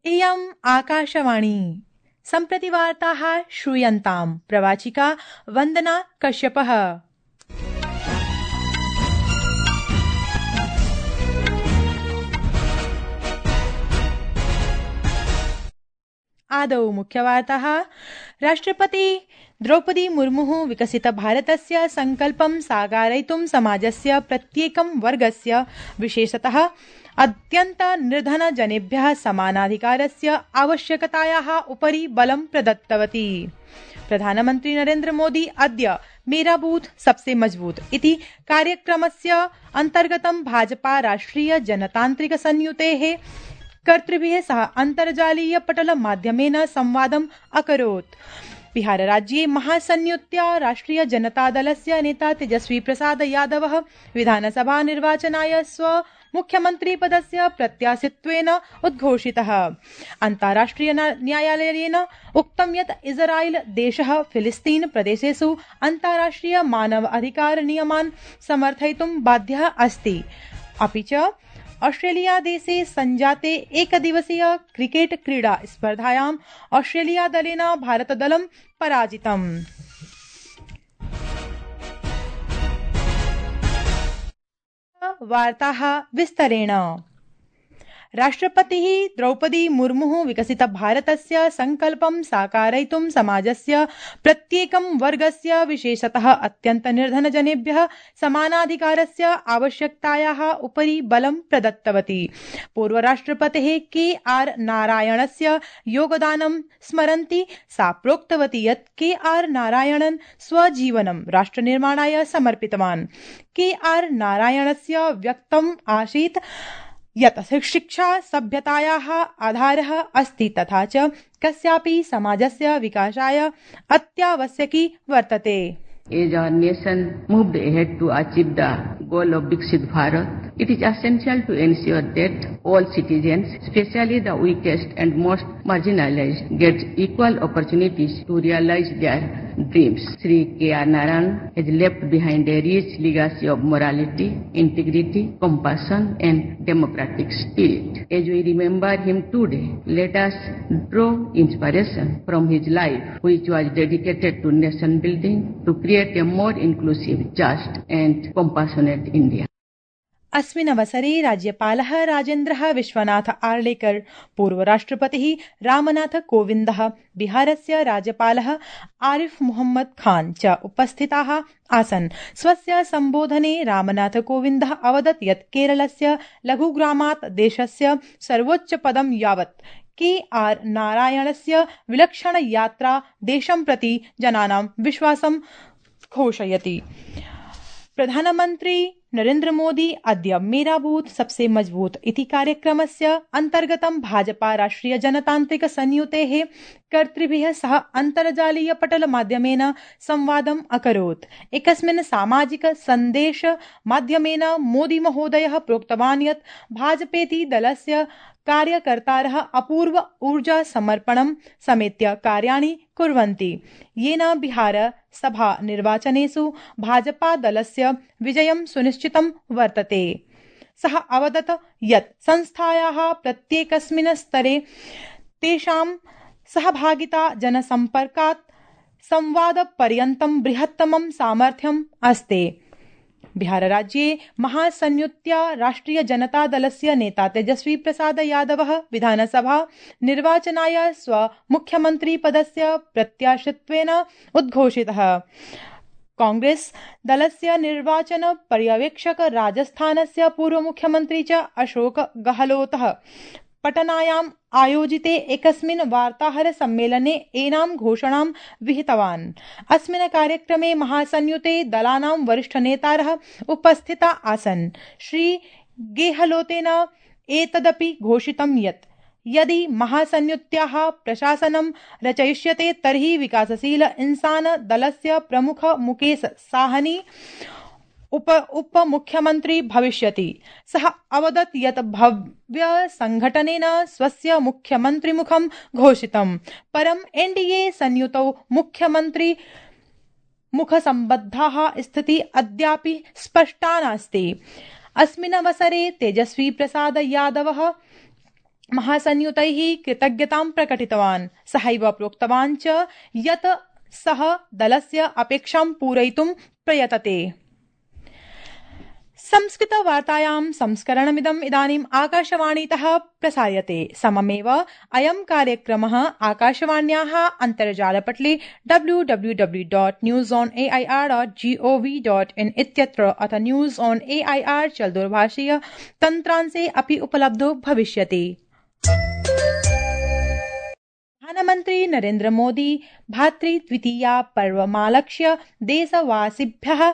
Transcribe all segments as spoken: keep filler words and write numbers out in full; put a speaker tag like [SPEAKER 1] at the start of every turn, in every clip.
[SPEAKER 1] इयम् आकाशवाणी सम्प्रति वार्ताः श्रूयन्ताम् प्रवाचिका वन्दना कश्यपः। आदौ मुख्यवार्ताः। राष्ट्रपति द्रौपदी मुर्मुः विकसित भारतस्य संकल्पं साकारयितुं समाजस्य प्रत्येकं वर्गस्य विशेषतः अत्यन्त निर्धनजनेभ्यः समानाधिकारस्य आवश्यकतायाः उपरि बलं प्रदत्तवती। प्रधानमन्त्री नरेन्द्र मोदी अद्य मेरा बूथ सबसे मजबूत इति कार्यक्रमस्य अन्तर्गतं भाजपा राष्ट्रिय जनतान्त्रिक संयुतेः कर्तृभिः सह अन्तर्जालीय पटल माध्यमेन संवादम् अकरोत्। बिहारराज्ये महासंयुत्या राष्ट्रिय जनतादलस्य नेता तेजस्वी प्रसाद यादवः विधानसभा निर्वाचनाय स्व मुख्यमन्त्रीपदस्य प्रत्याशित्वेन उद्घोषितः। अन्ताराष्ट्रिय न्यायालयेन उक्तं यत् इस्राएल देशः फिलिस्तीन प्रदेशेषु अन्ताराष्ट्रिय मानव अधिकार नियमान् समर्थयितुं बाध्यः अस्ति। अपि च ऑस्ट्रेलिया देशे संजाते एकदिवसीय क्रिकेट क्रीडा स्पर्धायाम् ऑस्ट्रेलिया दलेन भारतदलं पराजितम्। वार्ताः विस्तरेण। राष्ट्रपतिः द्रौपदी मुर्मुः विकसित भारतस्य संकल्पं साकारयितुं समाजस्य प्रत्येकं वर्गस्य विशेषतः अत्यन्त निर्धनजनेभ्यः समानाधिकारस्य आवश्यकतायाः उपरि बलं प्रदत्तवती। पूर्वराष्ट्रपतेः के आर नारायणस्य योगदानं स्मरन्ती सा प्रोक्तवती यत् के आर नारायणन् स्वजीवनं राष्ट्रनिर्माणाय समर्पितवान्। के आर नारायणस्य व्यक्तम् आसीत् यत् शिक्षा सभ्यतायाः आधारः अस्ति तथा च कस्यापि समाजस्य विकासाय अत्यावश्यकी वर्तते।
[SPEAKER 2] As our nation moved ahead to achieve the goal of Viksit Bharat, it is essential to ensure that all citizens, especially the weakest and most marginalized, get equal opportunities to realize their dreams. Shri K R Narayan has left behind a rich legacy of morality, integrity, compassion, and democratic spirit. As we remember him today, let us draw inspiration from his life, which was dedicated to nation building, to create a more inclusive, just, and compassionate India.
[SPEAKER 1] अस्मिन् अवसरे राज्यपालः राजेन्द्रः विश्वनाथ आर्लेकर, पूर्वराष्ट्रपतिः रामनाथ कोविन्दः, बिहारस्य राज्यपालः आरिफ मोहम्मद खान च उपस्थिताः आसन्। स्वस्य सम्बोधने रामनाथ कोविन्दः अवदत् यत् केरलस्य लघुग्रामात् देशस्य सर्वोच्चपदं यावत् के आर नारायणस्य विलक्षण यात्रा देशं प्रति जनानां विश्वासं घोषयति। प्रधानमन्त्री नरेन्द्र मोदी अद्य मेरा बूथ सबसे मजबूत इति कार्यक्रमस्य अन्तर्गतं भाजपा राष्ट्रिय जनतान्त्रिक संयुतेः कर्तृभिः सह अन्तर्जालीय पटल माध्यमेन संवादम् अकरोत्। एकस्मिन् सामाजिक सन्देश माध्यमेन मोदी महोदयः प्रोक्तवान् यत् भाजपेति दलस्य कार्यकर्तारः अपूर्व ऊर्जा समर्पणं समेत्य कार्याणि कुर्वन्ति, येन बिहार सभा निर्वाचनेषु भाजपा दलस्य विजयं सुनिश्चितं वर्तते। सः अवदत् यत् संस्थायाः प्रत्येकस्मिन् स्तरे तेषां सहभागिता जनसम्पर्कात् संवादपर्यन्तं बृहत्तमं सामर्थ्यम् अस्ति। बिहारराज्ये महासंयुत्या राष्ट्रिय जनतादलस्य नेता तेजस्वी प्रसाद यादवः विधानसभा निर्वाचनाय स्व मुख्यमन्त्रीपदस्य प्रत्याशित्वेन उद्घोषितः। कांग्रेस दलस्य निर्वाचन पर्यवेक्षक राजस्थानस्य पूर्वमुख्यमन्त्री च अशोक गहलोतः पटनायाम् आयोजिते एकस्मिन् वार्ताहर सम्मेलने एनां घोषणां विहितवान्। अस्मिन् कार्यक्रमे महासंयुते दलानां वरिष्ठनेतारः उपस्थिता आसन्। श्री गेहलोतेन एतदपि घोषितं यत् यदि महासंयुत्याः प्रशासनं रचयिष्यते तर्हि विकासशील इंसान दलस्य प्रमुख मुकेश साहनी उप उपमुख्यमन्त्री भविष्यति। सः अवदत् यत् भव्य संघटनेन स्वस्य मुख्यमन्त्रिमुखं घोषितं, परम् एनडीए संयुतौ मुख्यमन्त्री मुखसम्बद्धाः स्थितिः अद्यापि स्पष्टा नास्ति। अस्मिन् अवसरे तेजस्वी प्रसाद यादवः महासंयुतैः कृतज्ञतां प्रकटितवान्। सहैव प्रोक्तवान् च यत् सः दलस्य अपेक्षां पूरयितुं प्रयतते। संस्कृतवार्तायां संस्करणमिदम् इदानीम् आकाशवाणीतः प्रसार्यते। सममेव अयं कार्यक्रमः आकाशवाण्याः अन्तर्जालपटले W W W dot news on A I R dot G O V dot in इत्यत्र अथ news on A I R चलदूरभाषीय तन्त्रांशे अपि उपलब्धो भविष्यति। प्रधानमन्त्री नरेन्द्र मोदी भातृद्वितीया पर्वमालक्ष्य देशवासिभ्यः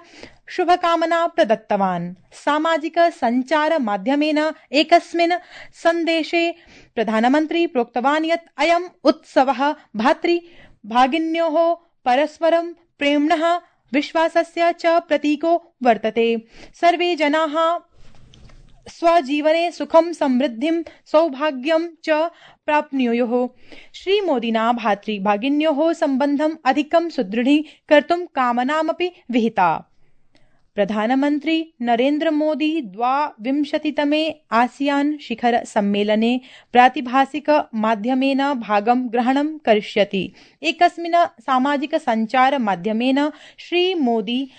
[SPEAKER 1] शुभकामना प्रदत्तवान्। सामाजिक सञ्चार माध्यमेन एकस्मिन् सन्देशे प्रधानमन्त्री प्रोक्तवान् यत् अयम् उत्सवः भातृभगिन्योः परस्परं प्रेम्णः विश्वासस्य च प्रतीको वर्तते। सर्वे जनाः स्वजीवने सुखं समृद्धिं सौभाग्यं च प्राप्नुयुः। श्रीमोदिना भातृभगिन्योः सम्बन्धम् अधिकं सुदृढीकर्तुं कामनामपि विहिता। प्रधानमन्त्री नरेन्द्र मोदी द्वाविंशतितमे आसियान शिखर सम्मेलने प्रातिभासिक माध्यमेन भागं ग्रहणं करिष्यति। एकस्मिन् सामाजिक सञ्चार माध्यमेन श्रीमोदी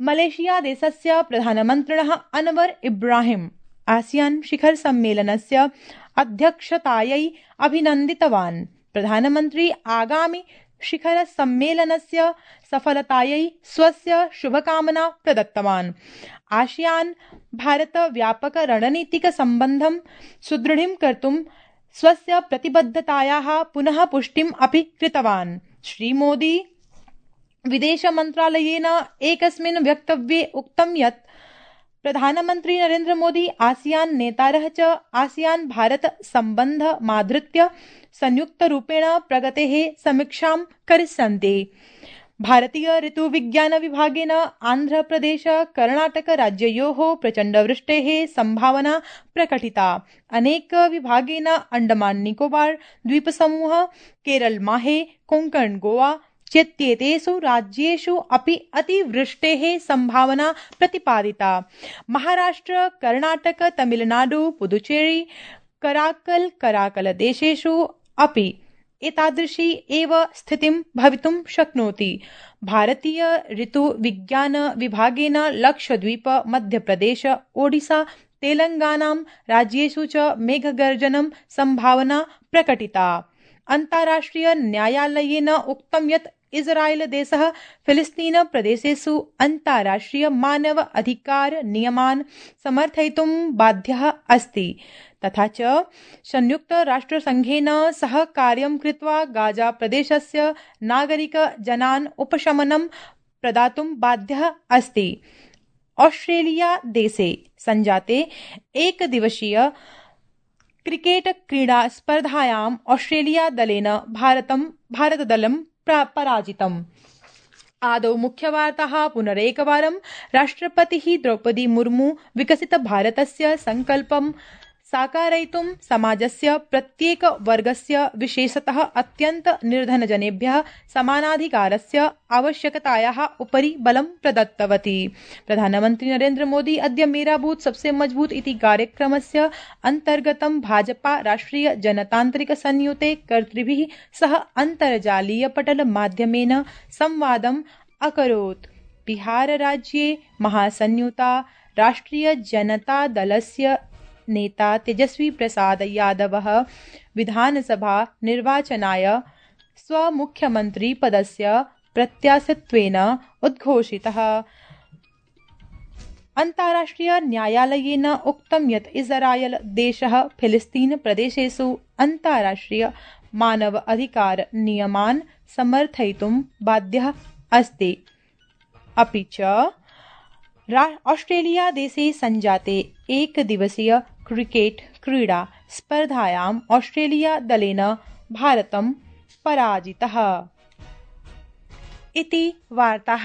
[SPEAKER 1] मलेशिया देशस्य प्रधानमन्त्रिणः अनवर इब्राहिम आसियान शिखर सम्मेलनस्य अध्यक्षतायै अभिनन्दितवान्। प्रधानमन्त्री आगामि शिखर सम्मेलनस्य सफलतायै स्वस्य शुभकामना प्रदत्तवान्। आसियान भारत व्यापक रणनीतिक सम्बन्धं सुदृढं कर्तुं स्वस्य प्रतिबद्धतायाः पुनः पुष्टिम् अपि कृतवान्। श्रीमोदी विदेश मन्त्रालयेन एकस्मिन् वक्तव्ये उक्तं यत् प्रधानमन्त्री नरेन्द्र मोदी आसियान नेतारः च आसियान भारत सम्बन्धमाधृत्य संयुक्तरूपेण प्रगतेः समीक्षां करिष्यन्ति। भारतीय ऋतुविज्ञान विभागेन आन्ध्रप्रदेश कर्णाटक राज्ययोः प्रचण्डवृष्टेः सम्भावना प्रकटिता। अनेक विभागेन अण्डमान निकोबार द्वीपसमूह, केरल माहे, कोङ्कण गोवा चेत्येतेषु राज्येषु अपि अतिवृष्टेः सम्भावना प्रतिपादिता। महाराष्ट्र, कर्णाटक, तमिलनाडु, पुदुचेरी, कराकल कराकल देशेषु अपि एतादृशी एव स्थितिं भवितुं शक्नोति। भारतीय ऋतुविज्ञान विभागेन लक्षद्वीप, मध्यप्रदेश, ओडिशा, तेलंगानां राज्येषु च मेघगर्जनं सम्भावना प्रकटिता। अन्ताराष्ट्रिय न्यायालयेन उक्तं यत् इस्राएल देशः फिलिस्तीन प्रदेशेषु अन्ताराष्ट्रिय मानव अधिकार नियमान् समर्थयितुं बाध्यः अस्ति। तथा च संयुक्त राष्ट्रसङ्घेन सह कार्यं कृत्वा गाजा प्रदेशस्य नागरिक जनान् उपशमनं प्रदातुं बाध्यः अस्ति। ऑस्ट्रेलिया देशे संजाते एकदिवसीय क्रिकेट क्रीडा स्पर्धायां ऑस्ट्रेलिया दलेन भारतं भारतदलं पराजितम्। आदौ मुख्यवार्ताः पुनरेकवारं। राष्ट्रपतिः द्रौपदी मुर्मू विकसित भारतस्य सङ्कल्पं साकारयितुं समाजस्य प्रत्येक वर्गस्य विशेषतः अत्यन्त निर्धनजनेभ्यः समानाधिकारस्य आवश्यकतायाः उपरि बलं प्रदत्तवती। प्रधानमन्त्री नरेन्द्र मोदी अद्य मेरा बूथ सबसे मजबूत इति कार्यक्रमस्य अन्तर्गतं भाजपा राष्ट्रिय जनतान्त्रिक संयुते कर्तृभिः सह अन्तर्जालीयपटल माध्यमेन संवादम् अकरोत्। बिहारराज्ये महासंयुता राष्ट्रिय जनता दलस्य नेता तेजस्वी प्रसाद यादवः विधानसभा निर्वाचनाय स्वमुख्यमन्त्री पदस्य प्रत्याशित्वेन उद्घोषितः। अन्ताराष्ट्रिय न्यायालयेन उक्तं यत् इस्राएल देशः फिलिस्तीन प्रदेशेषु अन्ताराष्ट्रिय मानव अधिकार नियमान् समर्थयितुं बाध्यः अस्ति। अपि च ऑस्ट्रेलिया देशे संजाते एकदिवसीय क्रिकेट क्रीडा स्पर्धायां ऑस्ट्रेलिया दलेन भारतं पराजितः। इति वार्ताः।